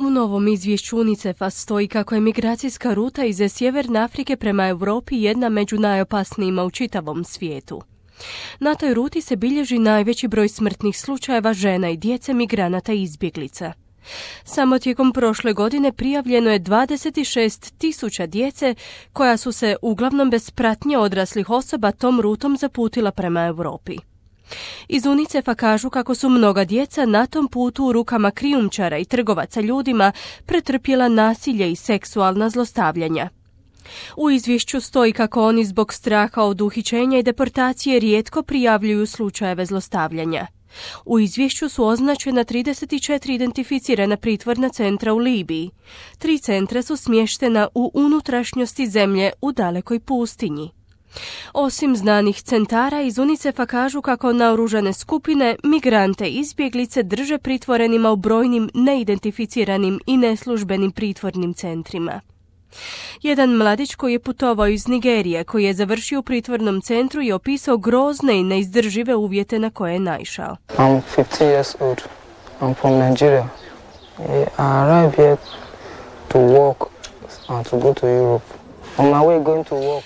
U novom izvješću UNICEF-a stoji kako je migracijska ruta iz Sjeverne Afrike prema Europi jedna među najopasnijima u čitavom svijetu. Na toj ruti se bilježi najveći broj smrtnih slučajeva žena i djece migranata i izbjeglica. Samo tijekom prošle godine prijavljeno je 26.000 djece koja su se uglavnom bez pratnje odraslih osoba tom rutom zaputila prema Europi. Iz UNICEF-a kažu kako su mnoga djeca na tom putu u rukama krijumčara i trgovaca ljudima pretrpjela nasilje i seksualna zlostavljanja. U izvješću stoji kako oni zbog straha od uhićenja i deportacije rijetko prijavljuju slučajeve zlostavljanja. U izvješću su označena 34 identificirana pritvorna centra u Libiji. 3 centra su smještena u unutrašnjosti zemlje u dalekoj pustinji. Osim znanih centara, iz UNICEF-a kažu kako naoružane skupine migrante i izbjeglice drže pritvorenima u brojnim neidentificiranim i neslužbenim pritvornim centrima. Jedan mladić koji je putovao iz Nigerije, koji je završio u pritvornom centru, je opisao grozne i neizdržive uvjete na koje je naišao. I'm 15 years old. I'm from Nigeria. I arrived here to work and to go to Europe. On my way going to work.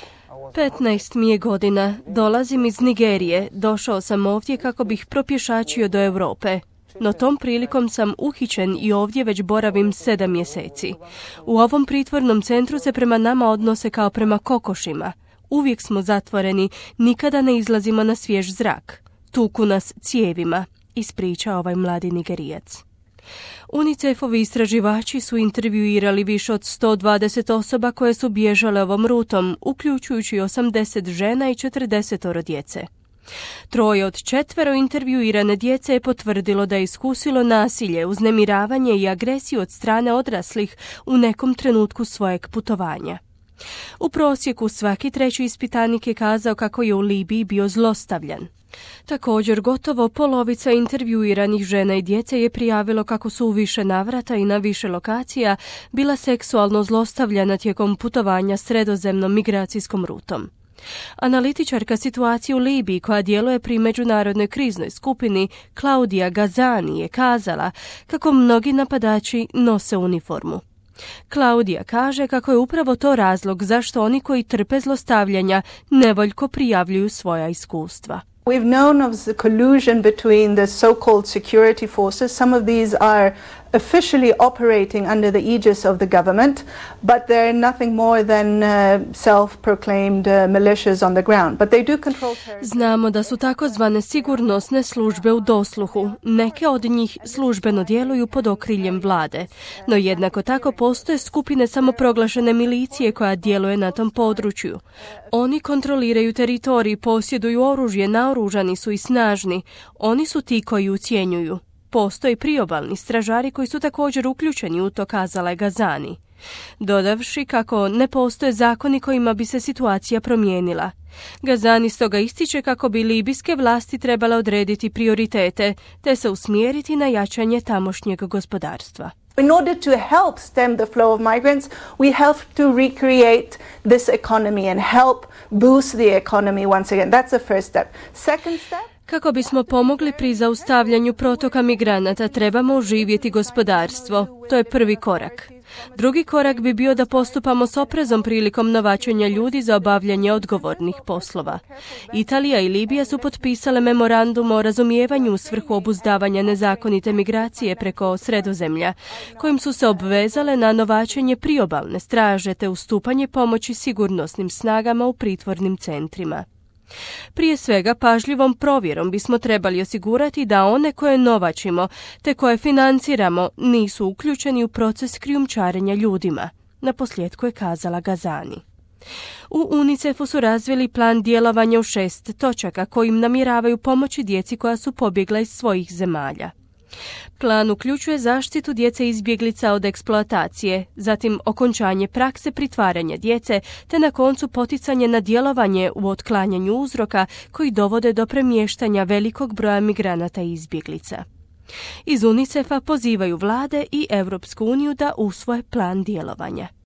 15 mi je godina. Dolazim iz Nigerije. Došao sam ovdje kako bih propješačio do Europe. No tom prilikom sam uhićen i ovdje već boravim 7 mjeseci. U ovom pritvornom centru se prema nama odnose kao prema kokošima. Uvijek smo zatvoreni, nikada ne izlazimo na svjež zrak. Tuku nas cijevima, ispriča ovaj mladi Nigerijac. UNICEF-ovi istraživači su intervjuirali više od 120 osoba koje su bježale ovom rutom, uključujući 80 žena i 40 djece. 3 od 4 intervjuirane djece je potvrdilo da je iskusilo nasilje, uznemiravanje i agresiju od strane odraslih u nekom trenutku svojeg putovanja. U prosjeku svaki 3. ispitanik je kazao kako je u Libiji bio zlostavljan. Također, gotovo polovica intervjuiranih žena i djece je prijavilo kako su u više navrata i na više lokacija bila seksualno zlostavljana tijekom putovanja sredozemnom migracijskom rutom. Analitičarka situacije u Libiji koja djeluje pri međunarodnoj kriznoj skupini Claudia Gazani je kazala kako mnogi napadači nose uniformu. Claudia kaže kako je upravo to razlog zašto oni koji trpe zlostavljanja nevoljko prijavljuju svoja iskustva. We've known of the collusion between the so-called security forces. Some of these are officially operating under the aegis of the government, but they're nothing more than self-proclaimed militias on the ground. But they do control territory. Znamo da su takozvane sigurnosne službe u dosluhu. Neke od njih službeno djeluju pod okriljem vlade, no jednako tako postoje skupine samoproglašene milicije koja djeluje na tom području. Oni kontroliraju teritorij, posjeduju oružje, naoružani su i snažni. Oni su ti koji ucjenjuju. Postoje priobalni stražari koji su također uključeni u to, kazala je Gazani, dodavši kako ne postoje zakoni kojima bi se situacija promijenila. Gazani stoga ističe kako bi libijske vlasti trebale odrediti prioritete te se usmjeriti na jačanje tamošnjeg gospodarstva. In order to help stem the flow of migrants, we have to recreate this economy and help boost the economy once again. That's the first step. Second step? Kako bismo pomogli pri zaustavljanju protoka migranata, trebamo oživjeti gospodarstvo. To je prvi korak. Drugi korak bi bio da postupamo s oprezom prilikom novačenja ljudi za obavljanje odgovornih poslova. Italija i Libija su potpisale memorandum o razumijevanju u svrhu obuzdavanja nezakonite migracije preko Sredozemlja, kojim su se obvezale na novačenje priobalne straže te ustupanje pomoći sigurnosnim snagama u pritvornim centrima. Prije svega, pažljivom provjerom bismo trebali osigurati da one koje novačimo te koje financiramo nisu uključeni u proces krijumčarenja ljudima, naposljetku je kazala Gazani. U UNICEF-u su razvili plan djelovanja u 6 točaka kojim namjeravaju pomoći djeci koja su pobjegla iz svojih zemalja. Plan uključuje zaštitu djece izbjeglica od eksploatacije, zatim okončanje prakse pritvaranja djece, te na koncu poticanje na djelovanje u otklanjanju uzroka koji dovode do premještanja velikog broja migranata i izbjeglica. Iz UNICEF-a pozivaju vlade i Europsku uniju da usvoje plan djelovanja.